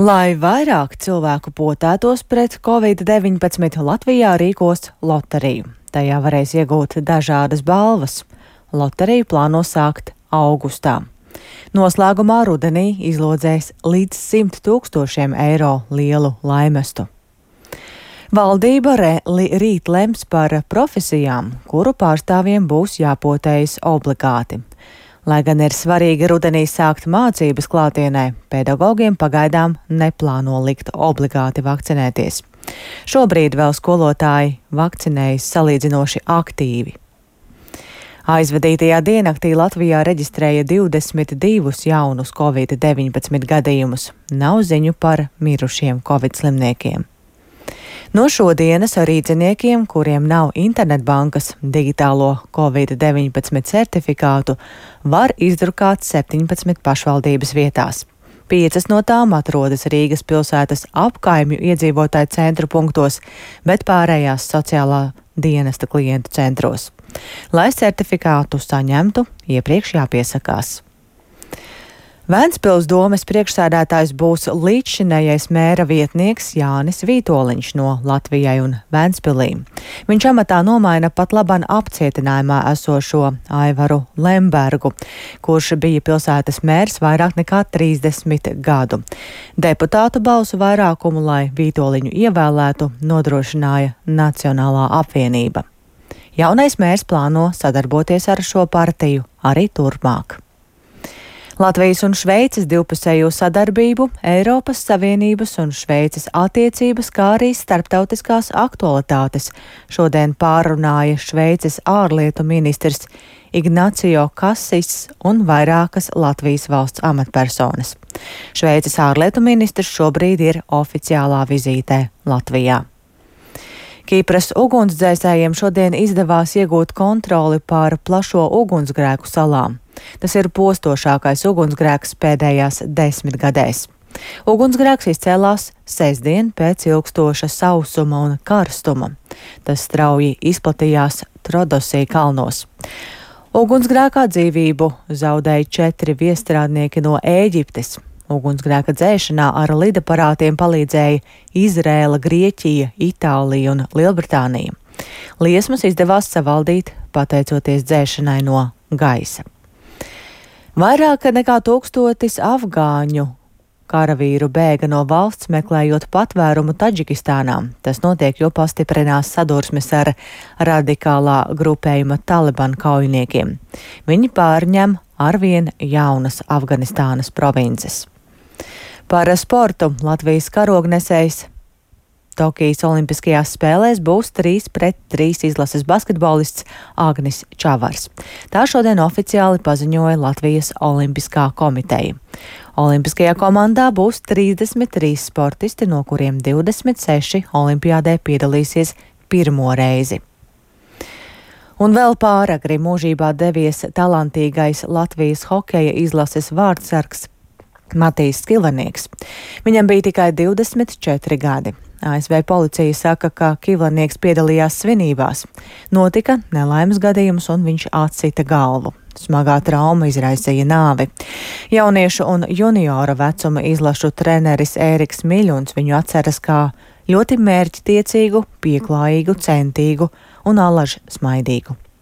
Lai vairāk cilvēku potētos pret Covid-19, Latvijā rīkos loteriju. Tajā varēs iegūt dažādas balvas. Loteriju plāno sākt augustā. Noslēgumā rudenī izlodzēs līdz 100 000 eiro lielu laimestu. Valdība rīt lems par profesijām, kuru pārstāvjiem būs jāpotējas obligāti. Lai gan ir svarīgi rudenī sākt mācības klātienē, pedagogiem pagaidām neplāno likt obligāti vakcinēties. Šobrīd vēl skolotāji vakcinējas salīdzinoši aktīvi. Aizvadītajā diennaktī Latvijā reģistrēja 22 jaunus Covid-19 gadījumus. Nav ziņu par mirušiem Covid slimniekiem. No šodienas rīdziniekiem, kuriem nav internetbankas digitālo Covid-19 certifikātu, var izdrukāt 17 pašvaldības vietās. 5 no tām atrodas Rīgas pilsētas apkaimju iedzīvotāju centru punktos, bet pārējās sociālā dienesta klientu centros. Lai certifikātu saņemtu, iepriekš jāpiesakās. Vēncpils domes priekšsēdētājs būs līdzšinējais mēra vietnieks Jānis Vītoliņš no Latvijai un Vēncpilī. Viņš amatā nomaina pat laban apcietinājumā esošo Aivaru Lembergu, kurš bija pilsētas mērs vairāk nekā 30 gadu. Deputātu balsu vairākumu, lai Vītoliņu ievēlētu, nodrošināja Nacionālā apvienība. Jaunais mērs plāno sadarboties ar šo partiju arī turpmāk. Latvijas un Šveices divpusējo sadarbību, Eiropas Savienības un Šveices attiecības, kā arī starptautiskās aktualitātes šodien pārunāja Šveices ārlietu ministrs Ignacio Cassis un vairākas Latvijas valsts amatpersonas. Šveices ārlietu ministrs šobrīd ir oficiālā vizītē Latvijā. Kipras ugunsdzēsējiem šodien izdevās iegūt kontroli pār plašo ugunsgrēku salām. Tas ir postošākais ugunsgrēks pēdējās 10 gadēs. Ugunsgrēks izcēlās sestdien pēc ilgstoša sausuma un karstuma. Tas strauji izplatījās Trodosī kalnos. Ugunsgrēkā dzīvību zaudēja 4 viestrādnieki no Ēģiptes. Ugunsgrēka dzēšanā ar lidaparātiem palīdzēja Izrēla, Grieķija, Itālija un Lielbritānija. Liesmas izdevās savaldīt pateicoties dzēšanai no gaisa. Vairāk nekā 1000 afgāņu karavīru bēga no valsts, meklējot patvērumu Taģikistānā. Tas notiek, jo pastiprinās sadursmes ar radikālā grupējuma Taliban kaujiniekiem. Viņi pārņem arvien jaunas Afganistānas provinces. Par sportu Latvijas karognesējs Tokijas Olimpiskajās spēlēs būs 3-3 izlases basketbolists Agnis Čavars. Tā šodien oficiāli paziņoja Latvijas Olimpiskā komiteja. Olimpiskajā komandā būs 33 sportisti, no kuriem 26 olimpiādē piedalīsies pirmo reizi. Un vēl pāragri mūžībā devies talantīgais Latvijas hokeja izlases vārdsargs Matīs Skilvanieks. Viņam bija tikai 24 gadi. ASV policija saka, ka Kivlanieks piedalījās svinībās. Notika nelaimes gadījums un viņš atsita galvu. Smagā trauma izraisīja nāvi. Jauniešu un juniora vecuma izlašu treneris Ēriks Miļuns viņu atceras kā ļoti mērķtiecīgu, pieklājīgu, centīgu un allaž smaidīgu.